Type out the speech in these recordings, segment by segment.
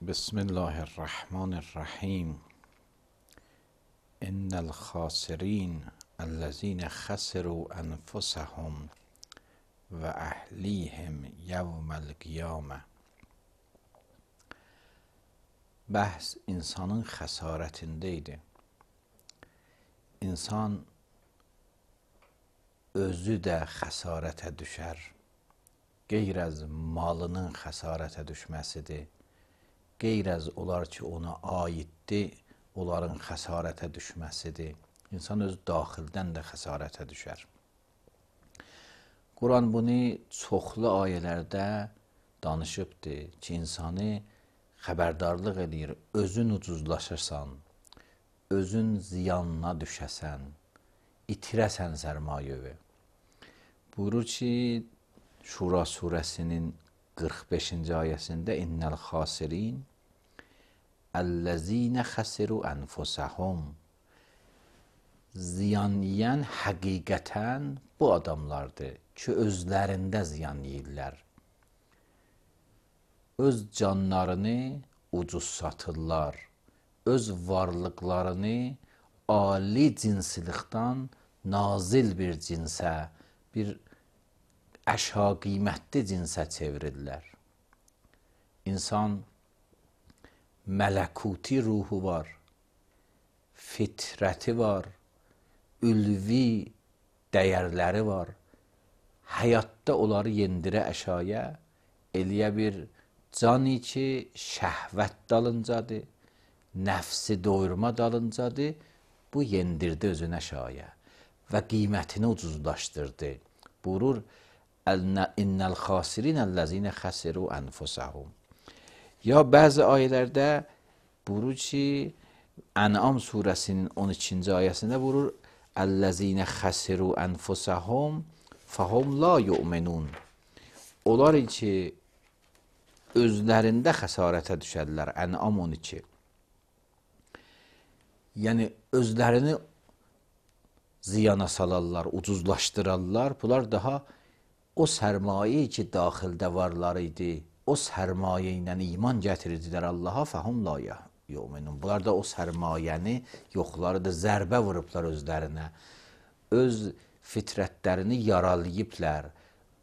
بسم الله الرحمن الرحیم. ان الخاسرین الذین خسروا انفسهم و اهلیهم یوم القیامه. Bəhs insanın xəsarətində idi. İnsan özü də xəsarətə düşər. Qeyr az malının xəsarətə düşməsidir. Qeyr az olar ki, ona aiddir, onların xəsarətə düşməsidir. İnsan öz daxildən də xəsarətə düşər. Quran bunu çoxlu ayələrdə danışıbdır ki, insanı xəbərdarlıq edir, özün ucuzlaşırsan, özün ziyanına düşəsən, itirəsən sərmayəvi. Buyurur ki, Şura surəsinin 45-ci ayəsində İnnəl xasirin əlləzinə xəsiru ənfusəhum. Ziyan yiyən həqiqətən bu adamlardır ki, özlərində ziyan yiyirlər. Öz canlarını ucuz satırlar, öz varlıqlarını ali cinsilikdən nazil bir cinsə, bir əşya qiymətli cinsə çevirirlər. İnsan mələkuti ruhu var, fitrəti var, ülvi dəyərləri var. Həyatda onları yendirə əşaya, eləyə bir cani ki, şəhvət dalıncadır, nəfsi doyurma dalıncadır, bu yendirdi özünə şaya və qiymətini ucuzlaşdırdı. Buyurur, İnnəl xasirin əlləzinə xəsiru ənfusəhum. Ya bəzi ayələrdə buyurur ki, Ən'am surəsinin 12-ci ayəsində buyurur, əlləzinə xəsiru ənfusəhum fəhum la yu'minun. Onlar ki, özlərində xəsarətə düşərlər. Ən'am 12. Yəni, özlərini ziyana salarlar, ucuzlaşdırarlar. Bunlar daha o sərmayə ki, daxildə varlar idi, o sərmayə ilə iman gətirirdilər Allaha, fəhum la yu'minun. Bunlar da o sərmayəni yoxlarıdır, zərbə vurublar özlərinə. Öz fitrətlərini yaralayıblər,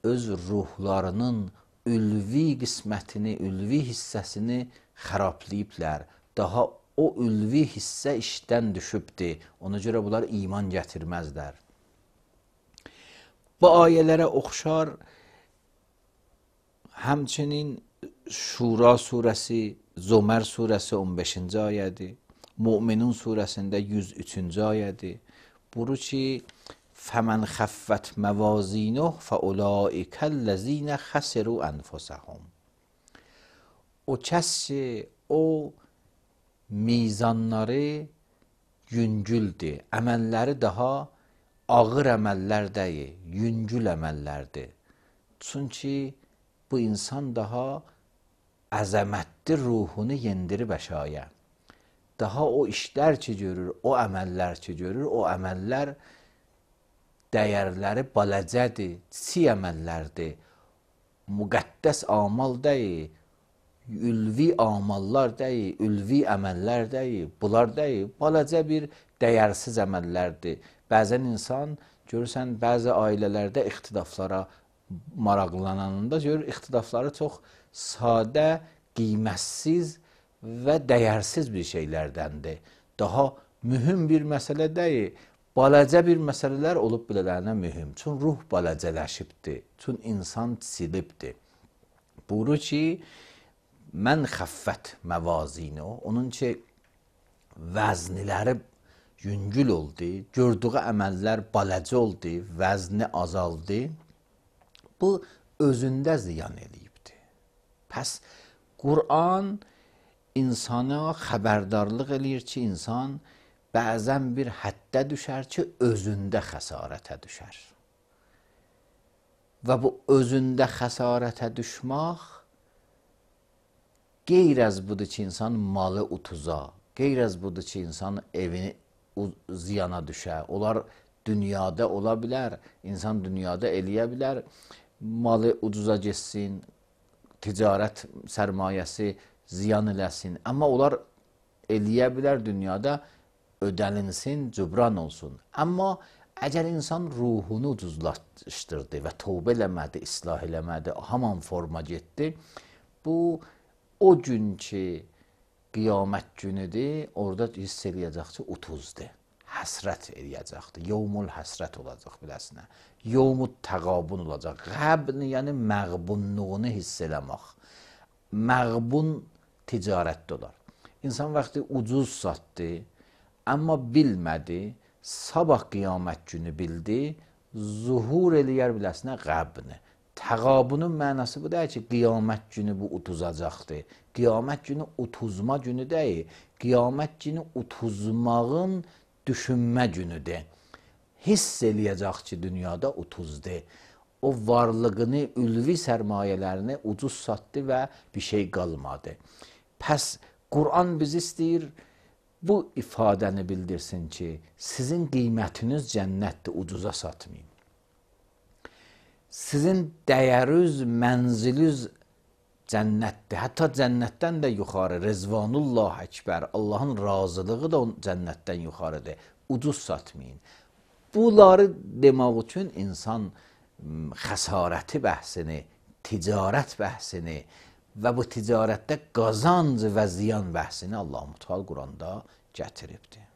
öz ruhlarının ülvi qismətini, ülvi hissəsini xərablayıblər. Daha o ülvi hissə işdən düşübdir. Ona görə bunlar iman gətirməzlər. Bu ayələrə oxşar həmçinin Şura surəsi, Zömər surəsi 15-ci ayədir. Müminun surəsində 103-cü ayədir. Buyurur ki, فَمَنْ خَفَّتْ مَوَازِينُهُ فَأُولَٰئِكَ الَّذِينَ خَسِرُوا أَنفُسَهُمْ. O kəs ki, o mizanları yüngüldür, əməlləri daha ağır əməllər deyil, yüngül əməllərdir. Çünki bu insan daha əzəmətli ruhunu yendirib əşaya. Daha o işlər ki görür, o əməllər ki görür, o əməllər dəyərləri balacədir, kiçik əməllərdir, müqəddəs amal deyil, ülvi amallar deyil, ülvi əməllər deyil, bunlar deyil, balacə bir dəyərsiz əməllərdir. Bəzən insan, görürsən, bəzi ailələrdə ixtilaflara maraqlananında görür, ixtilafları çox sadə, qiymətsiz və dəyərsiz bir şeylərdəndir. Daha mühüm bir məsələ deyil, balacə bir məsələlər olub bilələrinə mühüm. Çün ruh balacələşibdir, çün insan silibdir. Buyurur ki, mən xəffət məvazini, onun ki, vəzniləri yüngül oldu, gördüğü əməllər balacə oldu, vəzni azaldı. Bu, özündə ziyan eləyibdir. Pəs, Quran insana xəbərdarlıq eləyir ki, insan bəzən bir həddə düşər ki, özündə xəsarətə düşər. Və bu özündə xəsarətə düşmək qeyr az budur ki, insan malı utuza, qeyr az budur ki, insan evini ziyana düşər. Onlar dünyada ola bilər, insan dünyada eləyə bilər, malı ucuza getsin, ticarət sərmayəsi ziyan eləsin. Amma onlar eləyə bilər dünyada ödəlinsin, cübran olsun. Amma əgər insan ruhunu ucuzlaşdırdı və tövbə eləmədi, islah eləmədi, haman forma getdi, bu o gün ki qiyamət günüdür, orada hiss eləyəcək ki, utuzdur. Həsrət eləyəcəkdir. Yevmul həsrət olacaq biləsinə. Yevmut təqabun olacaq. Qəbn, yəni məğbunluğunu hiss eləmək. Məğbun ticarətdə olar. İnsan vaxtı ucuz satdı, amma bilmədi, sabah qiyamət günü bildi, zuhur eləyər biləsinə qəbni. Təqabunun mənası bu deyil ki, qiyamət günü bu utuzacaqdır. Qiyamət günü utuzma günü deyil. Qiyamət günü utuzmağın düşünmə günüdür. Hiss eləyəcək ki, dünyada utuzdur. O varlığını, ülvi sərmayələrini ucuz satdı və bir şey qalmadı. Pəs Quran bizi istəyir, bu ifadəni bildirsin ki, sizin qiymətiniz cənnətdir, ucuza satmayın. Sizin dəyəriz, mənziliz cənnətdir. Hətta cənnətdən də yuxarı, Rezvanullah Əkbər, Allahın razılığı da cənnətdən yuxarıdır. Ucuz satmayın. Bunları demək üçün insan xəsarəti bəhsini, ticarət bəhsini və bu ticarətdə qazanc və ziyan bəhsini Allah-u Teala Quranda gətiribdir.